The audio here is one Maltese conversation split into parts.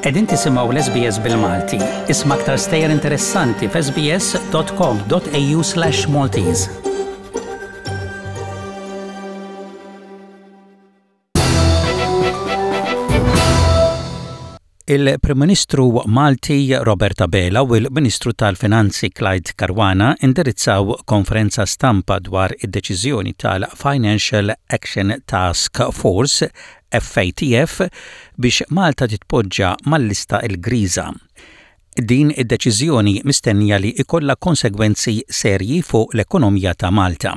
Qegħdin tisimgħu l-SBS bil-Malti. Isma' aktar stejjer interessanti f'sbs.com.au/Maltese. Il-Prim Ministru Malti Robert Abela u l-Ministru tal-Finanzi Clyde Caruana indirizzaw konferenza stampa dwar id-deċiżjoni tal-Financial Action Task Force, FATF, biex Malta titpoġġa mal-lista l-griża. Din id-deċiżjoni mistennija li jkollha konsegwenzi serji fuq l-ekonomija ta' Malta.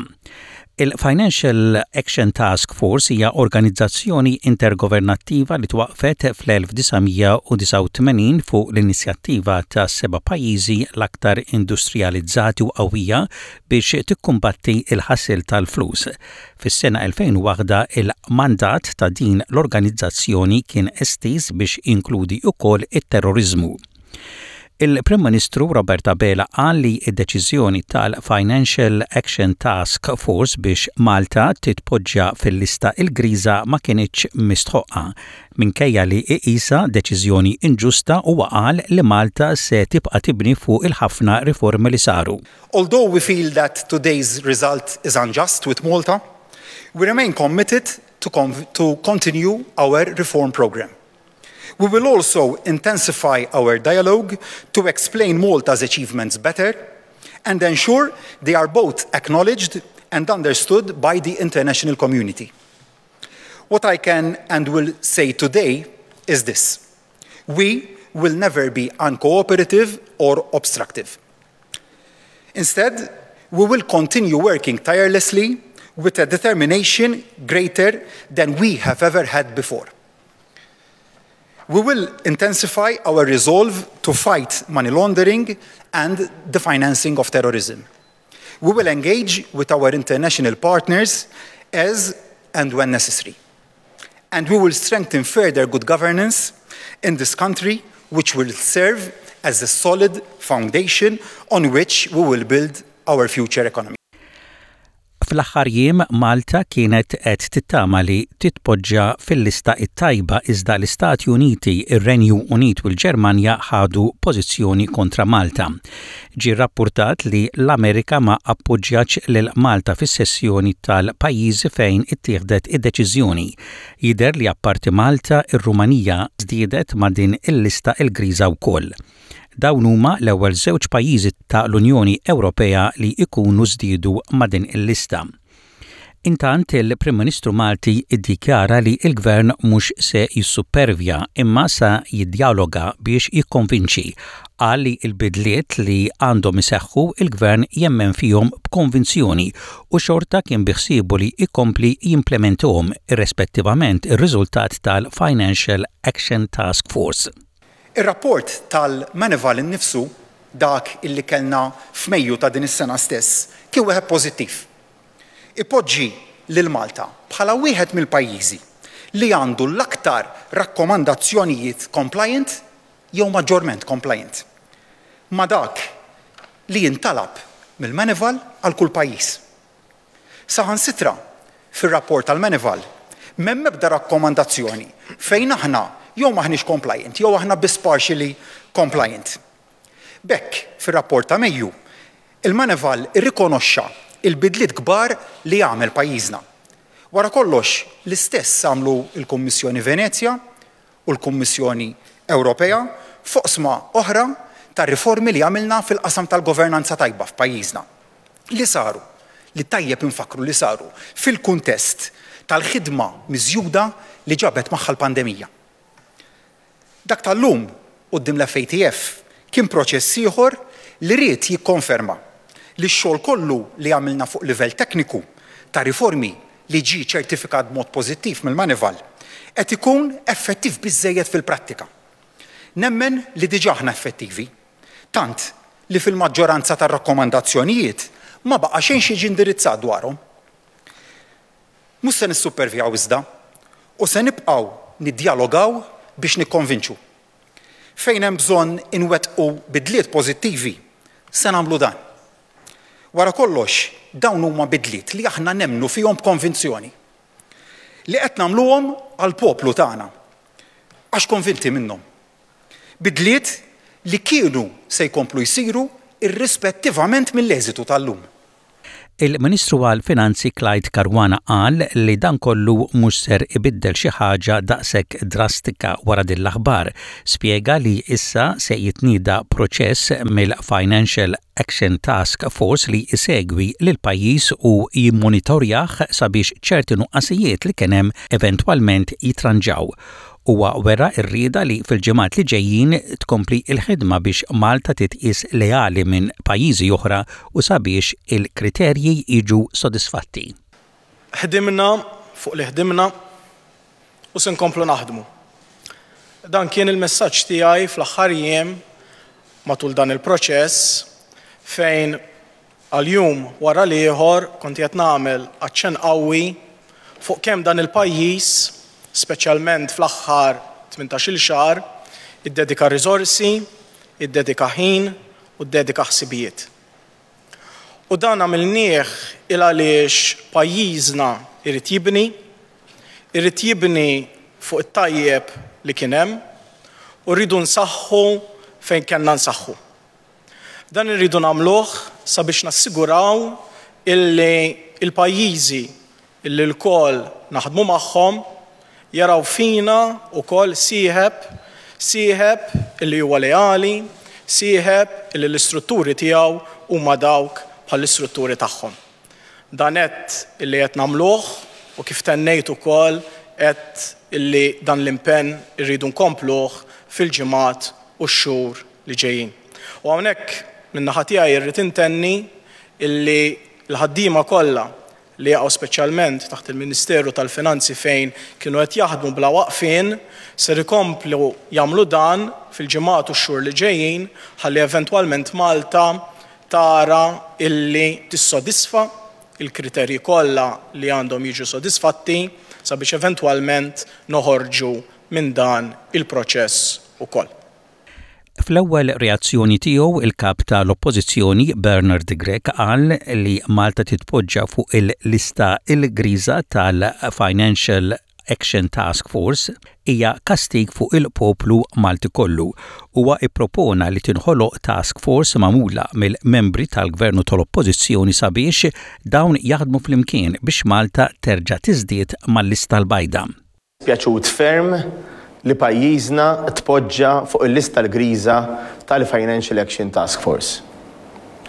Il-Financial Action Task Force hija organizzazzjoni intergovernattiva li twaqqfet fl-1989 fuq l-inizjattiva ta' seba' pajjiżi l-aktar industrijalizzati u qawwija biex tikkumbatti l-ħasil tal-flus. Fis-sena 2001 il-mandat ta' din l-organizzazzjoni kien estiż biex jinkludi wkoll it-terroriżmu. Il-Prim Ministru Robert Abela qal li d-deċiżjoni tal-Financial Action Task Force biex Malta titpoġġa fil-lista l-griża ma kinitx mistħoqqa. Minkejja li iqisha deċiżjoni inġusta huwa qal li Malta se tibqa' tibni fuq il-ħafna riformi li saru. Although we feel that today's result is unjust with Malta, we remain committed to, to continue our reform program. We will also intensify our dialogue to explain Malta's achievements better and ensure they are both acknowledged and understood by the international community. What I can and will say today is this. We will never be uncooperative or obstructive. Instead, we will continue working tirelessly with a determination greater than we have ever had before. We will intensify our resolve to fight money laundering and the financing of terrorism. We will engage with our international partners as and when necessary. And we will strengthen further good governance in this country, which will serve as a solid foundation on which we will build our future economy. Fl-aħħar jiem Malta kienet qed tittama li titpoġġa fil-lista t-tajba iżda l-Istati Uniti, ir-Renju Unit u l-Ġermanja ħadu pożizzjoni kontra Malta. Ġie rrappurtat li l-Amerika ma appoġġjatx lil Malta fis-sessjoni tal-pajjiżi fejn ittieħdet id-deċiżjoni. Jidher li apparti Malta, ir-Rumanija żdiedet ma' din il-lista l-griża wkoll. Dawn huma l-ewwel żewġ pajjiżi ta' l-Unjoni Ewropea li jkunu żdiedu ma' din il-lista. Intant, il-Prim Ministru Malti iddikjara li l-Gvern mhux se jissuppervja imma sa jiddjaloga biex jikkonvinċi. Qal li l-bidliet li għandhom iseħħu il-Gvern jemmen fihom b'konvinzjoni u xorta kien biħsiebu li jkompli jimplementahom irrespettivament ir-riżultat tal-Financial Action Task Force. Ir-rapport tal-Moneyval innifsu, dak illi kellna f'Mejju ta' din is-sena stess, kien wieħed pożittiv. Ipoġġi lil Malta bħala wieħed mill-pajjiżi li għandu l-aktar rakkomandazzjonijiet compliant jew maġġorment compliant ma' dak li jintalab mill-Moneyval għal kull pajjiż. Saħansitra, fir-rapport tal-Moneyval m'hemm ebda rakkomandazzjoni fejn aħna jew m'aħniex compliant jew aħna biss partially compliant. B'hekk, fir-rapport ta' Mejju, il-Moneyval irrikonoxxa l-bidliet kbar li għamel pajjiżna. Wara kollox, l-istess għamlu l-Kummissjoni Venezja u l-Kummissjoni Ewropea f'oqsma oħra ta' riformi li għamilna fil-qasam tal-governanza tajba f'pajjiżna, li saru, li tajjeb infakkru li saru fil-kuntest tal-ħidma miżjuda li ġabet magħha l-pandemija. Dak tal-lum quddiem l-FATF kien proċess ieħor li ried jikkonferma li x-xogħol kollu li għamilna fuq livell tekniku ta' riformi li ġie ċertifikat b'mod pożittiv mill-Moneyval qed ikun effettiv biżżejjed fil-prattika. Nemmen li diġà aħna effettivi, tant li fil-maġġoranza tar-rakkomandazzjonijiet ma baqa' xejn x'jiġi indirizzat dwarhom. Mhux se nissupervjaw iżda, u se nibqgħu niddjalogaw biex nikkonvinċu. Fejn hemm bżonn inwettqu bidliet pożittivi, se nagħmlu dan. Wara kollox, dawn huma bidliet li aħna nemmnu fihom b'konvinzjoni. Li qed nagħmluhom għall-poplu tagħna. Għax konvinti minnhom. Bidliet li kienu se jkomplu jsiru irrispettivament mill-eżitu tal-lum. Il-Ministru għall-Finanzi Clyde Caruana qal li dan kollu mhux ser ibiddel xi ħaġa daqshekk drastika wara din l-aħbar. Spjega li issa se jitnieda proċess mill-Financial Action Task Force li jsegwi lill-pajjiż u jimmonitorjah sabiex ċerti nuqqasijiet li kien hemm eventwalment jitranġaw. Huwa wera r-rieda li fil-ġimgħat li ġejjin tkompli l-ħidma biex Malta titqies leali minn pajjiżi oħra u sabiex il-kriterji jiġu sodisfatti. Ħdimna fuq li ħdimna u se nkomplu naħdmu. Dan kien il-messaġġ tiegħi fl-aħħar jiem matul dan il-proċess fejn Għal jum wara l-ieħor kont qiegħed nagħmel aċċenn qawwi fuq kemm dan il-pajjiż, speċjalment fl-aħħar tmintax-il xahar, iddedika riżorsi, iddedika ħin u ddedika ħsibijiet. U dan għamilnieh il għaliex pajjiżna jrid jibni, irid jibni fuq it-tajjeb li kien hemm u rridu nsaħħu fejn kellna nsaħħu. Dan irridu nagħmluh sabiex nassiguraw illi l-pajjiżi illi lkoll naħdmu magħhom jaraw fina wkoll sieħeb, sieħeb illi huwa leali, sieħeb illi l-istrutturi tiegħu huma dawk bħall-istrutturi tagħhom. Dan għedt illi qed nagħmluh u kif tennejt ukoll għedt illi dan l-impenn irridu nkompluh fil-ġimgħat u x-xhur li ġejjin. U hawnhekk min-naħa tiegħi rrid intenni illi l-ħaddiema kollha li jaqgħu speċjalment taħt il-Ministeru tal-Finanzi fejn kienu qed jaħdmu bla waqfien ser ikomplu jagħmlu dan fil-ġimgħat u x-xhur li ġejjin ħalli eventwalment Malta tara illi tissodisfa l-kriterji kollha li għandhom jiġu sodisfatti sabiex eventwalment noħorġu minn dan il-proċess ukoll. Fl-ewwel reazzjoni tiegħu, il-Kap ta' l-Oppożizzjoni Bernard Grech qal li Malta titpoġġa fuq il-lista l-griża tal-Financial Action Task Force hija kastig fuq il-poplu Malti kollu. Huwa ippropona li tinħoloq task force magħmula mill-membri tal-Gvern u tal-Oppożizzjoni sabiex dawn jaħdmu flimkien biex Malta terġa' tiżdied mal-lista l-bajda. Pjaċut ferm li pajjiżna tpoġġa fuq il-lista l-griża tal-Financial Action Task Force.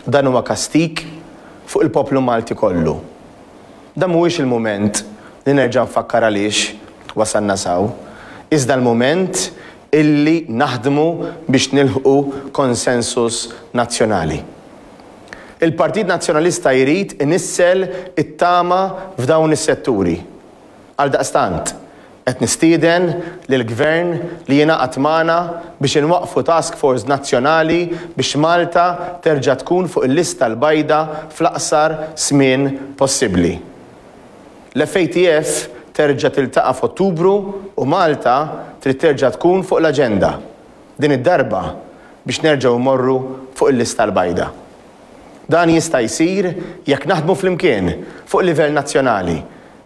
Dan huwa kastig fuq il-poplu Malti kollu. Dan mhuwiex il-mument li nerġa' nfakkar għaliex wasalna s'hawn, iżda l-mument illi naħdmu biex nilħqu konsensus nazzjonali. Il-Partit Nazzjonalista jrid inissel it-tama f'dawn is-setturi. Għaldaqstant, qed nistieden lill-Gvern li jingħaqad magħna biex inwaqqfu task force nazzjonali biex Malta terġa' tkun fuq il-lista l-bajda fl-aqsar żmien possibbli. L-FATF terġa' tiltaqa' f'Ottubru u Malta trid terġa' tkun fuq l-aġenda, din id-darba biex nerġgħu mmorru fuq il-lista l-bajda. Dan jista' jsir jekk naħdmu flimkien fuq livell nazzjonali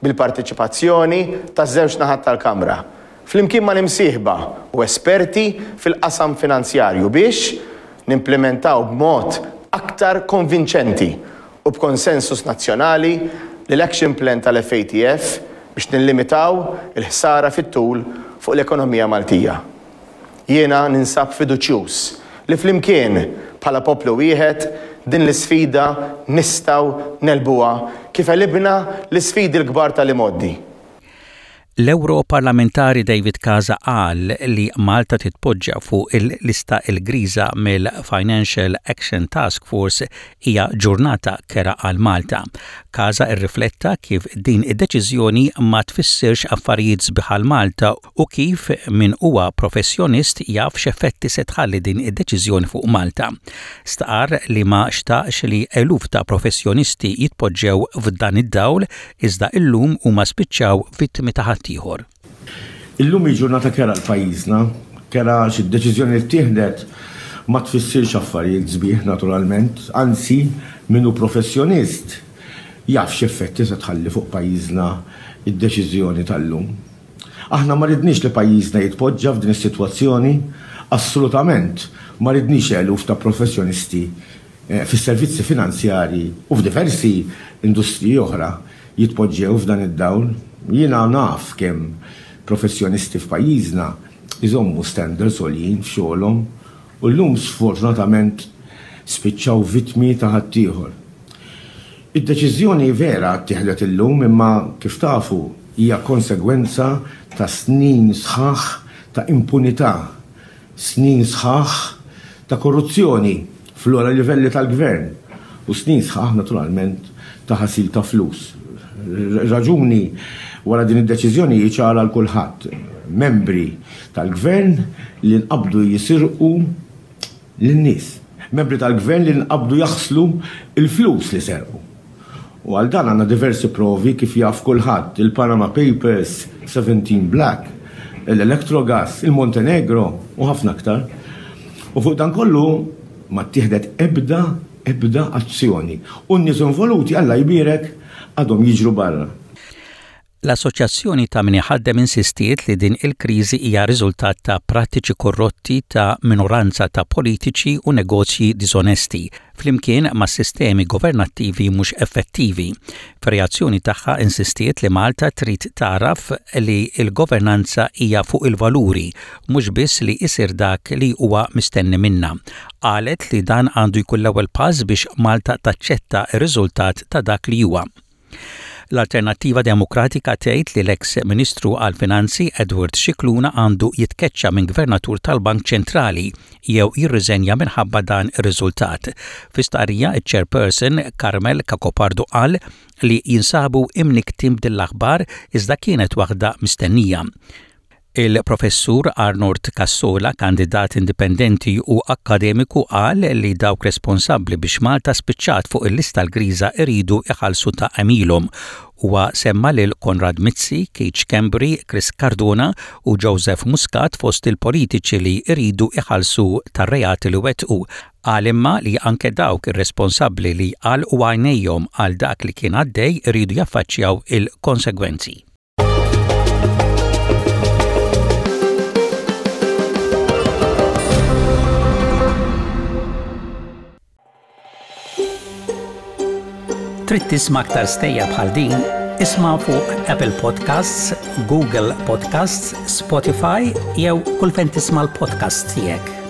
bil-parteċipazzjoni taż-żewġ naħat tal-Kamra, flimkien mal-imsieħba u esperti fil-qasam finanzjarju biex nimplimentaw b'mod aktar konvinċenti u b'konsensus nazzjonali l-Action Plan tal-FATF biex nillimitaw il-ħsara fit-tul fuq l-ekonomija Maltija. Jiena ninsab fiduċjuż li flimkien, bħala poplu wieħed, din l-isfida nistgħu negħlbuha kif għelibna l-isfidi l-kbar tal-imgħoddi. L-Ewroparlamentari David Casa qal li Malta titpoġġa fuq il-lista l-griża mill-Financial Action Task Force hija ġurnata kerha għal Malta. Casa rrifletta kif din id-deċiżjoni ma tfissirx affarijiet sbieħ għal Malta u kif min huwa professjonist jaf x'effetti se tħalli din id-deċiżjoni fuq Malta. Stqarr li ma xtaqx li eluf ta' professjonisti jitpoġġew f'dan id-dawl iżda illum huma spiċċaw vittmi ta' ħaddieħor. Illum hi ġurnata kerha għal pajjiżna, kerha għax id-deċiżjoni li ttieħdet ma tfissirx affarijiet sbieħ naturalment, anzi min hu professjonist jaf x'effetti se tħalli fuq pajjiżna d-deċiżjoni tal-lum. Aħna ma ridniex li pajjiżna jitpoġġa f'din is-sitwazzjoni. Assolutament ma ridniex eluf ta' professjonisti fis-servizzi finanzjarji u f'diversi industriji oħra jitpoġġew f'dan id-dawl. Jiena naf kemm professjonisti f'pajjiżna jżommu standards għoljin f'xogħolhom u llum sfortunatament spiċċaw vittmi ta' ħaddieħor. Id-deċiżjoni vera ttieħdet illum imma kif tafu hija konsegwenza ta' snin sħaħ ta' impunità, snin sħaħ ta' korruzzjoni fl-ogħla livelli tal-Gvern u snin sħaħ naturalment ta' ħasil ta' flus. Ir-raġuni wara din id-deċiżjoni hi ċara għal kulħadd, membri tal-Gvern li nqabdu jisirqu lin-nies. Membri tal-Gvern li nqabdu jaħslu l-flus li serqu. U għal dan għandna diversi provi kif jaf kulħadd, il-Panama Papers, 17 Black, l-Electrogas, il-Montenegro u ħafna aktar. U fuq dan kollu ma ttieħdet ebda, ebda azzjoni. U n-nies involuti, Alla jbierek, għadhom jiġru barra. L-Assoċjazzjoni ta' Min Iħaddem insistiet li din il-kriżi hija riżultat ta' prattiċi korrotti ta' minoranza ta' politiċi u negozji diżonesti, flimkien ma' sistemi governattivi mhux effettivi. Fir-reazzjoni tagħha insistiet li Malta trid tagħraf li l-governanza hija fuq il-valuri, mhux biss li isir dak li huwa mistenni minnha. Qalet li dan għandu jkun l-ewwel pass biex Malta taċċetta r-riżultat ta' dak li huwa. L-Alternattiva Demokratika tgħid li l-eks Ministru għall-Finanzi Edward Scicluna għandu jitkeċċa minn Gvernatur tal-Bank Ċentrali jew jirriżenja minħabba dan ir-riżultat. Fi stqarrija iċ-Chairperson Carmel Cacopardo qal li jinsabu imnikktin b'din l-aħbar iżda kienet waħda mistennija. Il-Professur Arnold Cassola, kandidat indipendenti u akkademiku qal li dawk responsabbli biex Malta spiċċat fuq il-lista l-griża iridu iħallsu ta' għemilhom. Huwa semma lil Konrad Mizzi, Keith Schembri, Chris Cardona u Joseph Muscat fost il-politiċi li jridu iħallsu tar-reati li wettqu. Qal imma li anke dawk ir-responsabbli li għalqu għajnejhom għal dak li kien għaddej iridu jaffaċċjaw il-konsegwenzi. Trid tisma' aktar stejjer bħal din? Isma' fuq Apple Podcasts, Google Podcasts, Spotify jew kull fejn tisma' l-podcasts tiegħek.